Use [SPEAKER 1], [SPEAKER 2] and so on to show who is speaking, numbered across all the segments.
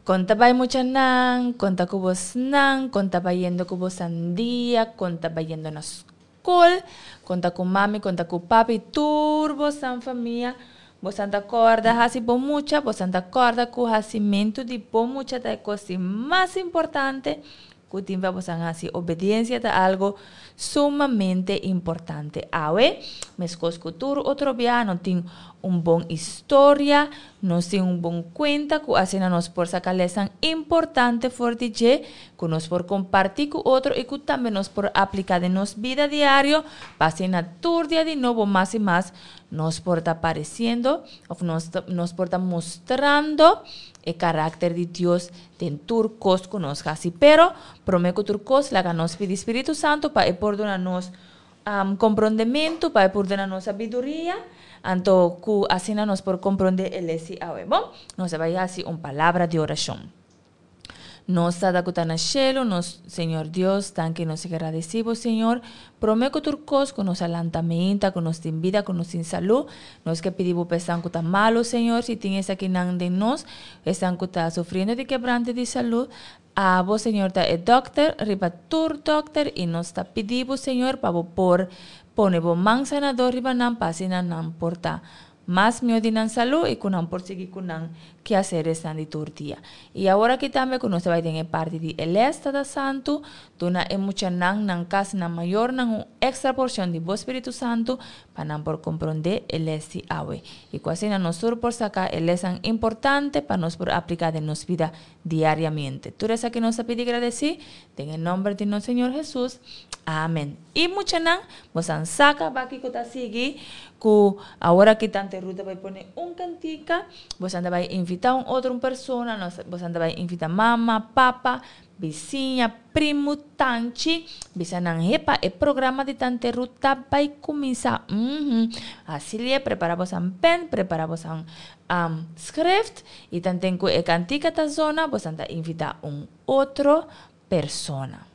[SPEAKER 1] Kon ta bai muchanan, kon ta ku bosnan, kon ta bayendo ku bosan dia, kon ta bayendo na skol, kon ta ku mami, kon ta ku papi, tur bosan famia. Bosan ta kòrda hasi bon mucha, bosan ta kòrda ku hasimentu di bon mucha ta e kos di mas importante ku tin pa bosan hasi. Obediensia ta algo sumamente importante. Awe, meskos ku tur otro biaha, no tin un bon historia, nos tin un bon kuenta ku asina nos por saka lèsnan importante for di dje, ku nos por kompartí ku otro i ku tambe nos por apliká den nos bida diario, pa asina tur dia di nobo mas i mas nos por ta paresiendo òf nos nos por ta mustrando e karakter di Dios den tur kos ku nos hasi. Pero, promé ku tur kos, laga nos pidi Spiritu Santu pa e por duna nos komprondementu, pa e por duna nos sabiduria, anto ku asina nos por komprondé e les di awe. Bon, nos a bai hasi un palabra di orashon. Nos Tata ku ta na shelu, nos Señor Dios, danki nos gradisí bo, Señor, promé ku tur kos ku nos a lanta meinta, ku nos tin bida, ku nos tin salú, nos ke pidi bo pa esnan ku ta malu, Señor, si tin esakinan den nos, esnan ku ta sufriendo di kebrante di salú, abo, Señor, ta e dòkter riba tur dòkter i nos ta pidi bo, Señor, pa bo por pone bo man sanador riba nan pa asina nan por ta Mas mihó di nan salú i ku nan por sigui ku nan keaseresnan di tur dia. I awor aki tambe ku nos ta bai den e parti di e lès Tata Santu, duna e muchanan, nan kas, nan mayornan un èkstra porshon di bo Spiritu Santu pa nan por komprondé e lès di awe. I ku asina nos tur por saka e lèsnan importante pa nos por apliká den nos bida diariamente. Tur esaki nos ta pidi gradesí den e nòmber di nos Señor Hesus. Amen. I muchanan, bosan sa kaba kiko ta sigui ku awor aki tante Ruth ta bai pone un kantika, bosan ta bai invitá un otro un persona, nos bosan ta bai invitá mama, papa, bisiña, primu, tanchi, bisa nan hepa e programa di tante Ruth ta bai kuminsá. Uhum. Hasi lie, prepará bosan pen, prepará bosan schrift y tanten cu e cantica ta zona bosan ta invita un otro persona.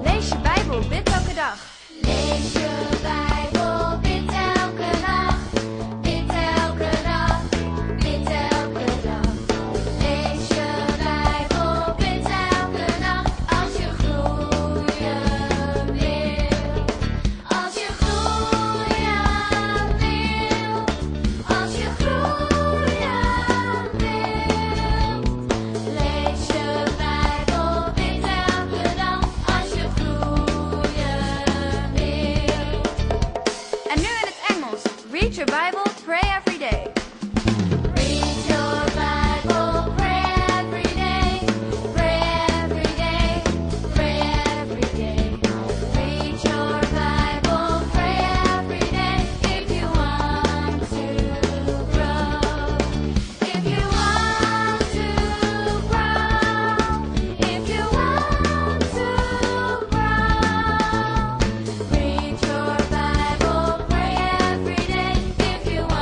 [SPEAKER 2] Lees je Bijbel, bid elke dag. Lees je Bijbel, bid elke nacht. Bid elke dag, bid elke dag. Lees je Bijbel, bid elke nacht. Als je groeien wil. Als je groeien wil. Als je groeien wilt. Lees je Bijbel, bid elke dag. Als je groeien wilt. En nu in het Engels. Read your Bible, pray every day. Read your Bible, pray every day. Pray every day, pray every day. Read your Bible, pray every day. If you want to grow. If you want to grow. If you want to grow. Read your Bible, pray every day. If you want.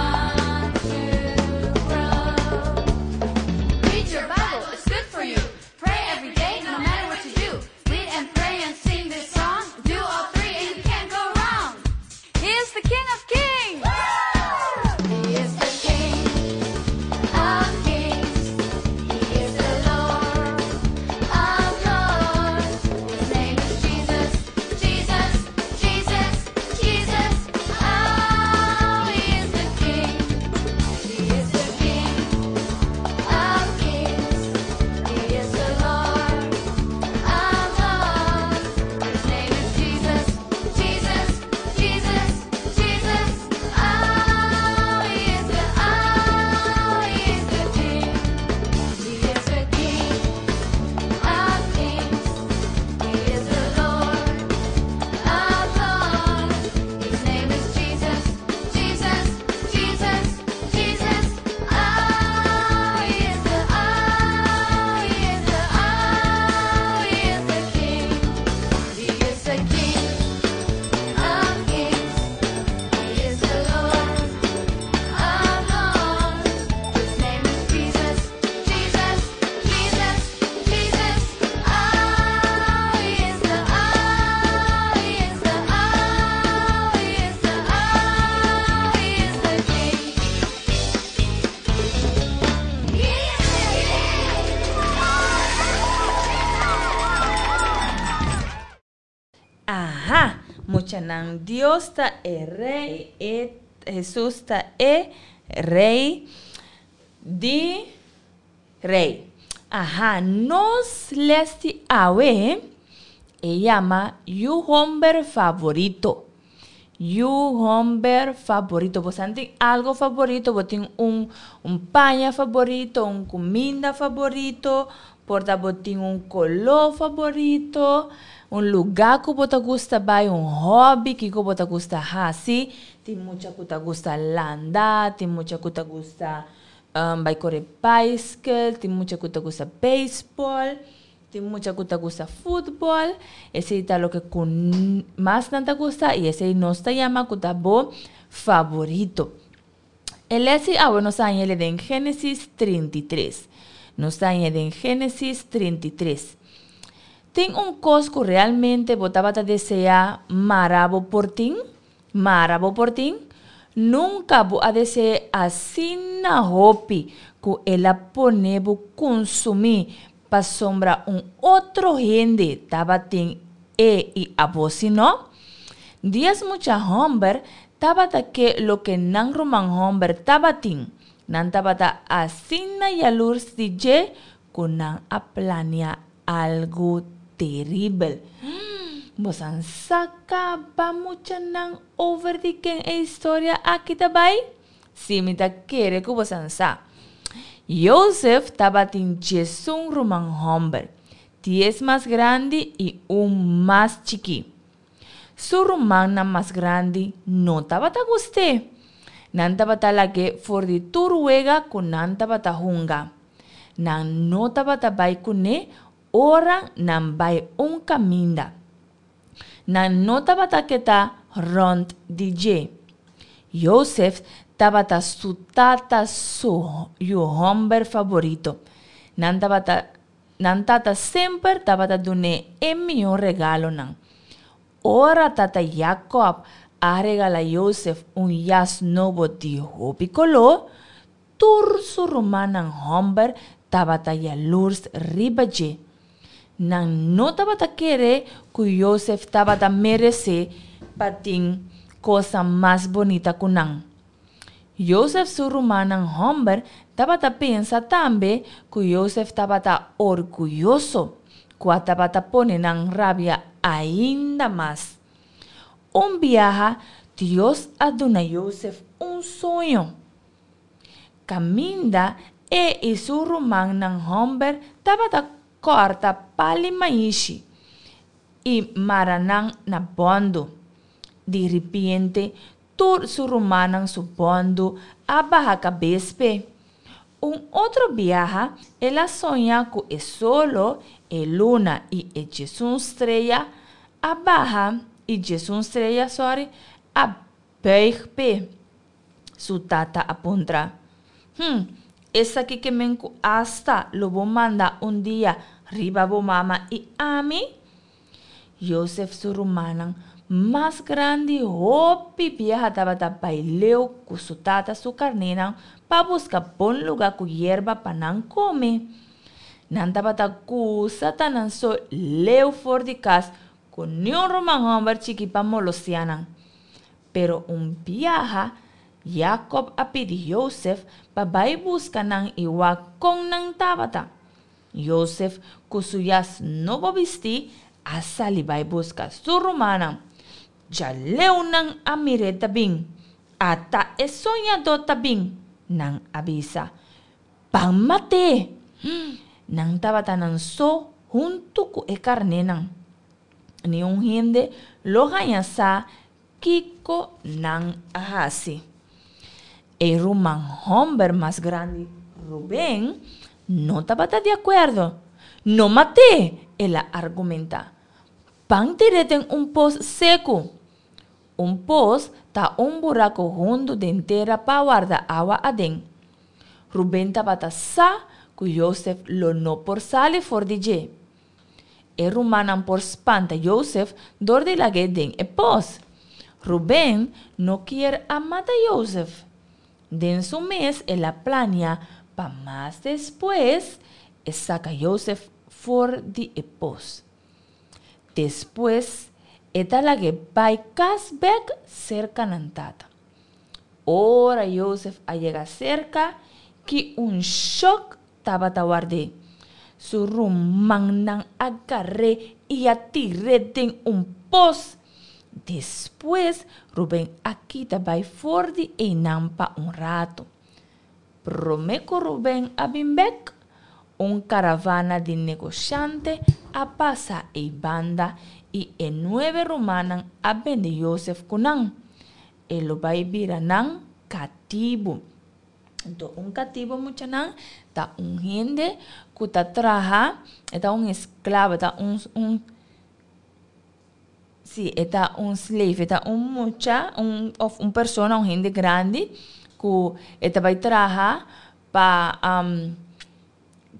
[SPEAKER 1] Muchanan, Dios ta e Rei, e Hesus ta e Rei di Rei. Aha, nos les di awe e yama Yu Homber Favorito. Yu homber favorito. Bo tin algo favorito, bo tin un paña favorito, un kuminda favorito, por ta bo tin un koló favorito, un lugá ku bo ta gusta bai, un hòbi kiko bo ta gusta hasi. Tin mucha ku ta gusta landa, tin mucha ku ta gusta bai kore baiskel, tin mucha ku ta gusta beisbòl. Tin mucha ku ta gusta futbòl, esei ta loke ku mas nan ta gusta i esei nos ta yama ku ta bo favorito. E lès di awe nos ta haña el den Génesis 33. Nos ta haña den Génesis 33. Tin un kos ku realmente bo tabata deseá mara bo por tin? Mara bo por tin? Nunka bo a dese'é asina hopi ku el a pone bo kunsumí pasobra un otro hende tabatin e i abo si no? Dies mucha hòmber tabata ke loke nan ruman hòmber tabatin. Nan tabata asina yalurs di dje ku nan a plania Algu teribel. Bosan sa kaba muchanan over di ken e historia aki ta bai? Sí, mi ta kere ku bosan sa. Josef tabatin djesun ruman hòmber, dies mas grandi i un mas chikí. Su rumannan mas grandi no tabata gust'é. Nan tabata lag'é for di tur wega ku nan tabata hunga. Nan no tabata bai kuné ora nan bai un kaminda. Nan no tabata keda rònt di dje. Josef tabata su tata su yu hòmber faborito. Nan tabata nan tata semper tabata dun'é e mihó regalonan. Ora tata Jakòb a regala Josef un yas nobo di hopi koló, Tur su rumannan hòmber tabata yalurs riba dje. Nan no tabata kere ku Yosef tabata meresé pa tin kosnan mas bunita ku nan. Yosef su rumannan hòmber tabata pensa tambe ku Yosef tabata orguyoso, kua tabata pone nan rabia ainda mas. Un biaha Dios a duna Yosef un soño. Kaminda e i su rumannan hòmber tabata kòrta pal'i maishi i mara nan na bòndu. Di ripiente tur su rumannan su bòndu a baha kabes p'e. Un otro biaha el a soña ku e solo, e luna i e djesun strea a baha i djesun strea, sòri, a bùig p'e. Su tata a puntra. Hm, esaki ke men ku asta lo bo manda un dia riba bo mama i ami? Josef su rumannan mas grandi hopi biaha tabata bai leu ku su tata su karnénan pa buska bon lugá ku yerba pa nan kome. Nan tabata gusta ta nan so leu for di kas ku niun ruman hòmber chiki pa molostia nan. Pero un biaha, Yakob a pidi Yosef pa bai buska nan i wak kon nan tabata. Yosef, ku su yas nobo bistí, a sali bai buska su rumannan. Djaleu nan a mir'é ta bin. Ata e soñadó ta bin, nan a bisa. Ban mat'é! Nan tabata nan so huntu ku e karnénan. Niun hende lo haña sa kiko nan a hasi. E ruman hòmber mas grandi, Ruben, no tabata di akuerdo. No mat'é, el a argumentá. Ban tir'é den un pos seku. Un pos ta un buraku hundu den tera pa warda awa aden. Ruben tabata sa ku Yosef lo no por sali for di dje. E rumannan por spanta Josef dor di lag'é den e pos. Ruben no kier a mata Josef. Den su mes el a plania pa mas despues e saka Josef for di e pos. Despues. E ta lag'é bai kas bèk serka nan tata. Ora Yosef a yega serka, ki un shòk tabata ward'é! Su rumannan a gar'é i a tir'é den un pos. Despues, Ruben a kita bai for di einan pa un ratu. Promé ku Ruben a bin bèk, un karavana di negoshante a pasa ei banda i e nuebe rumannan a bende Yosef ku nan. E lo bai bira nan katibu. Anto un katibu, muchanan, ta un hende ku ta traha, e ta un esklabo, e ta un un Sí, e ta un slave, e ta un mucha, un of un persona, un hende grandi ku e ta bai traha pa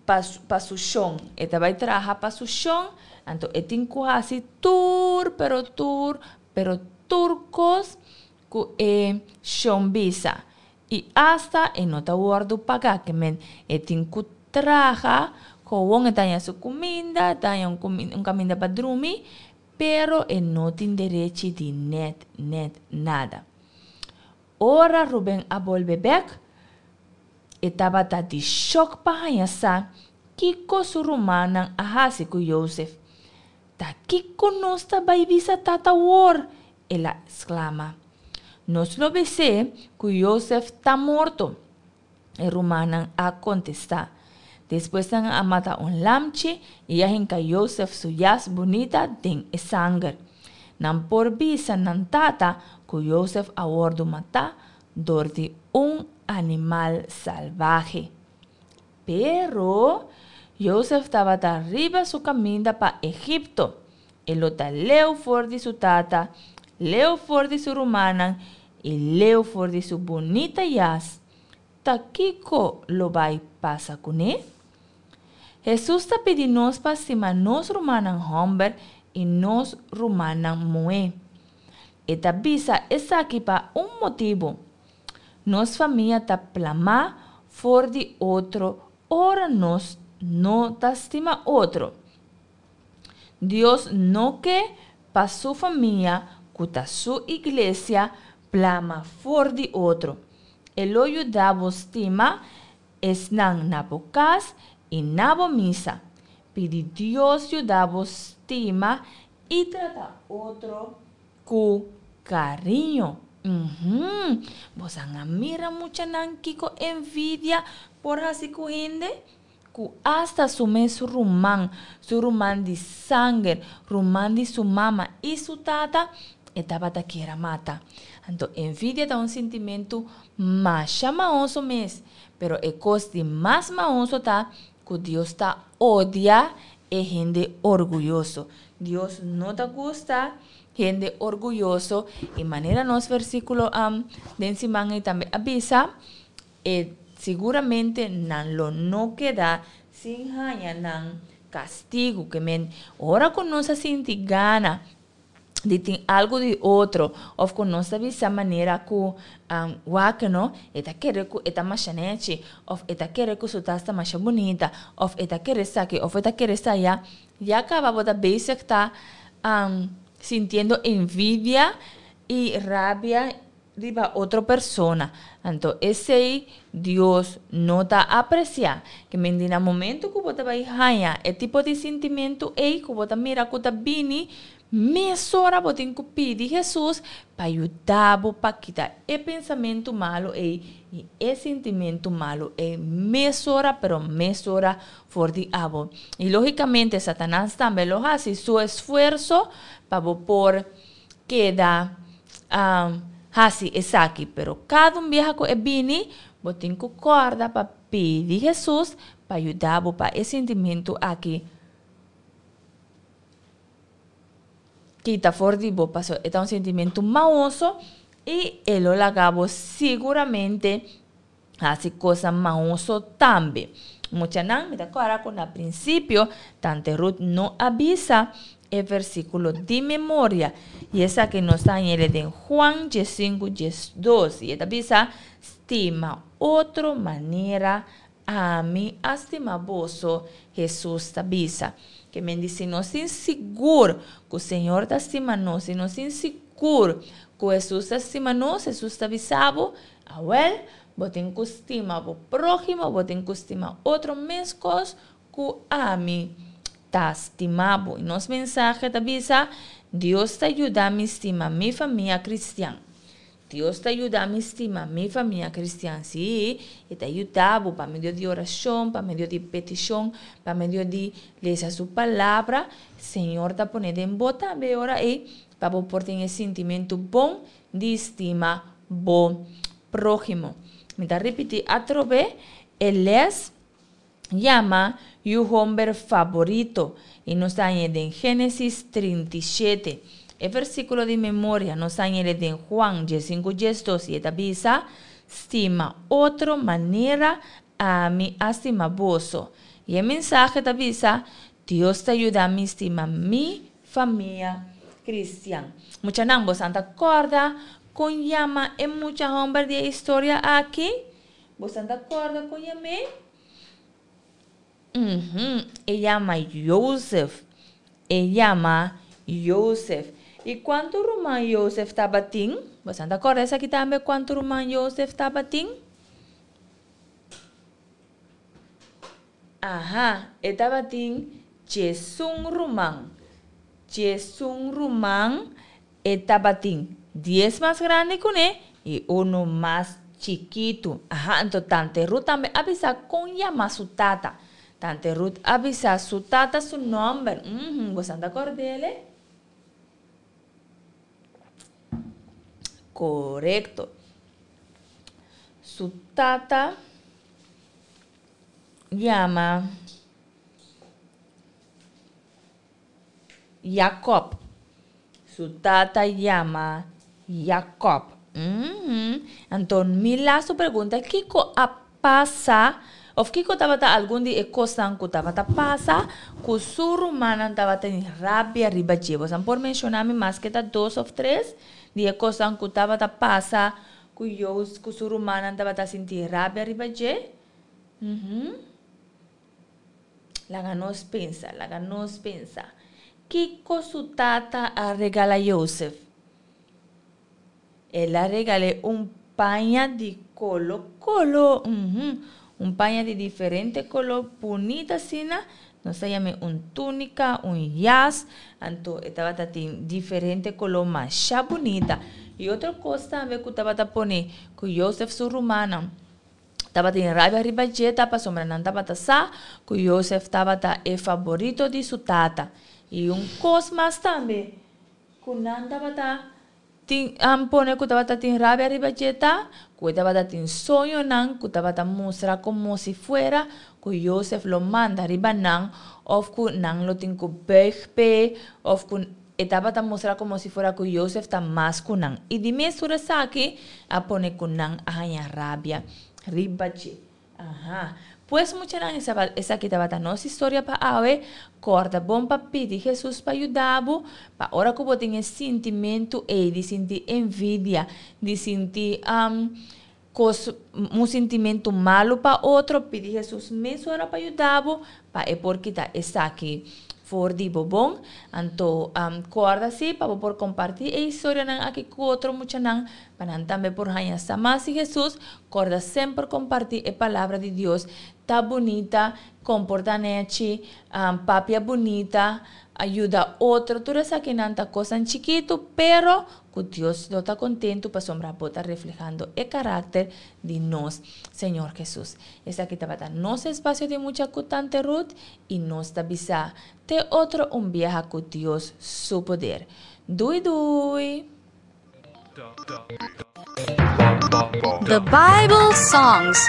[SPEAKER 1] pa su pa su shon. E ta bai traha pa su shon, anto e tin ku hasi tur pero tur pero tur kos ku e shon bisa. I asta e no ta wòrdu pagá, ke men e tin ku traha kowon e ta haña su kuminda, e ta haña un un kaminda pa drumi, pero e no tin derechi di nèt nèt nada. Ora Ruben a bolbe bèk, e tabata di shòk pa haña sa kiko su rumannan a hasi ku Yosef. Ta kiko nos ta bai bisa tata awor? El a sklama. Nos lo bis'é ku Yosef ta morto, e rumannan a kontestá. Despues nan a mata un lamchi i a hinka Yosef su yas bunita den e sanger. Nan por bisa nan tata ku Yosef a wòrdu matá dor di un animal salbahe. Pero, Yosef tabata riba su kaminda pa Egipto. E lo ta leu for di su tata, leu for di su rumannan i leu for di su bunita yas. Ta kiko lo bai pasa kuné? Hesus ta pidi nos pa stima nos rumannan hòmber i nos rumannan muhé. E ta bisa esaki pa un motibu. Nos famia ta plamá for di otro ora nos no ta stima otro. Dios no ke pa su famia, ku ta su iglesia, plama for di otro. E lo yuda bo stima esnan na bo kas i na bo misa. Pidi Dios yuda bo stima i trata otro ku kariño. Uhum! Bosan a mira muchanan kiko envidia por hasi ku hende? Ku asta su mes ruman, su ruman di sanger, ruman di su mama i su tata, e tabata kier a mata. Anto envidia ta un sintimentu masha maoso mes, pero e kos di mas maoso ta ku Dios ta odia e hende orguyoso. Dios no ta gusta hende orguyoso i manera nos versíkulo den siman ei tambe a bisa, e siguramente nan lo no keda sin haña nan kastigu. Ke men ora ku nos a sinti gana di tin algu di otro of ku nos ta bisa manera ku wak no e ta kere ku e ta masha nechi of e ta kere ku su tas ta masha bunita of e ta kere esaki of e ta kere esaya ya kaba bo ta bezig ta sintiendo envidia i rabia riba otro persona anto esei Dios no ta aprecia ke men di na momento ku bo ta bai haña e tipo di sintimentu ei ku bo ta mira ku ta bini mesora bo tin ku pidi Hesus pa yuda bo pa kita e pensamentu malu ei i e sintimentu malu ei mesora pero mesora for di abo i logikamente Satanas tambe lo hasi su esfuerso pa bo por keda hasi esaki. Pero kada un biaha ku e bini, bo tin ku kòrda pa pidi Hesus pa yuda bo pa e sintimentu aki kita for di bo, pasobra e ta un sintimentu maoso i e lo laga bo siguramente hasi cosa maoso tambe. Muchanan, mi ta kòrda ku na prinsipio Tante Ruth no a bisa e versíkulo di memoria. I esaki nos ta hañ'el den Juan diesinku diesdos. I e ta bisa, Stima otro manera Ami a stima boso, Hesus ta bisa. Ke men di si nos tin sigur ku Señor ta stima nos, si nos tin sigur ku Hesus ta stima nos, Hesus ta bisa bo, awèl, bo tin ku stima bo próhimo, bo tin ku stima otro meskos ku ami ta stima bo. I nos mensahe ta bisa, Dios ta yuda mi stima mi famia kristian. Dios ta yuda mi stima mi famia kristian. Sí, e ta yuda bo pa medio di orashon, pa medio di petishon, pa medio di lesa su palabra. Señor ta pone den bo tambe e ora ei pa bo por tin e sintimentu bon di stima bo próhimo. Mi ta ripití atrobe e lès. Yama yu homber faborito i nos ta hañ'é den Génesis 37. E versíkulo di memoria nos ta hañ'é den Juan diesinku diesdos i e ta bisa, Stima otro manera ami a stima boso. I e mensahe ta bisa, Dios ta yuda mi stima mi famia kristian. Muchanan, bosan ta kòrda kon yama e mucha hòmber di e historia aki? Bosan ta kòrda kon yam'é? Uhum, e yama Josef. E yama Josef. I kuantu ruman Josef tabatin? Bosan ta kòrda esaki tambe kuantu ruman Josef tabatin? Aha, e tabatin djesun ruman. Djesun ruman E tabatin dies mas grandi kuné i unu mas chikitu. Aha, anto Tante Ruth tambe a bisa kon yama su tata. Tante Ruth a bisa su tata su nòmber. Uhum, bosan ta kòrd'é? Korekto. Su tata yama. Jakòb. Su tata yama Jakòb. Uhum. Anto Mila su pregunta kiko a pasa òf kiko tabata algun di e kosnan ku tabata pasa ku su rumannan tabatin rabia riba dje. Boso por menshoná mi maske ta dos òf tres di e kosnan ku tabata pasa ku Joost ku su rumannan tabata sinti rabia riba dje? Uhum. Laga nos pensa, laga nos pensa. Kiko su tata a regala Josef? El a regal'é un paña di kolo kolo, uhum, un paña di diferente kolo bunita asina. Nos ta yam'é un túnika, un yas. Anto e tabata tin diferente kolo masha bunita. I otro kos tambe ku tabata pone ku Josef su rumannan Tabatin rabia riba dje ta pasobra nan tabata sa ku Josef tabata e faborito di su tata. I un kos mas tambe ku nan tabata tin pone ku tabata tin rabia riba dje ta ku e tabata tin soñonan ku tabata mustra komo si fuera ku Josef lo manda riba nan òf ku nan lo tin ku bùig p'e òf ku E tabata mustra komo si fuera ku Yosef ta mas ku nan, i di mes tur esaki a pone ku nan a haña rabia riba dje. Aha. Pues muchanan, esaki tabata nos historia pa awe. Kòrda bon pa pidi Hesus pa yuda bo, pa ora ku bo tin e sintimentu ei di sinti envidia, di sinti kos, un sintimentu malu pa otro, pidi Hesus mesora pa yuda bo pa e por kita esaki for di bo bon. Anto kòrda si pa bo por kompartí e historianan aki ku otro muchanan pa nan tambe por haña sa mas di Hesus. Kòrda semper kompartí e palabra di Dios. Ta bunita komportá nèchi, papia bunita, yuda otro. Tur esakinan ta kosnan chikitu pero Ku Dios lo ta kontentu pasobra bo ta reflehando e karakter di nos Señor Hesus. Esaki tabata nos espasio di mucha ku Tante Ruth i nos ta bisa te otro un biaha ku Dios su poder. Dui dui!
[SPEAKER 2] The Bible Songs.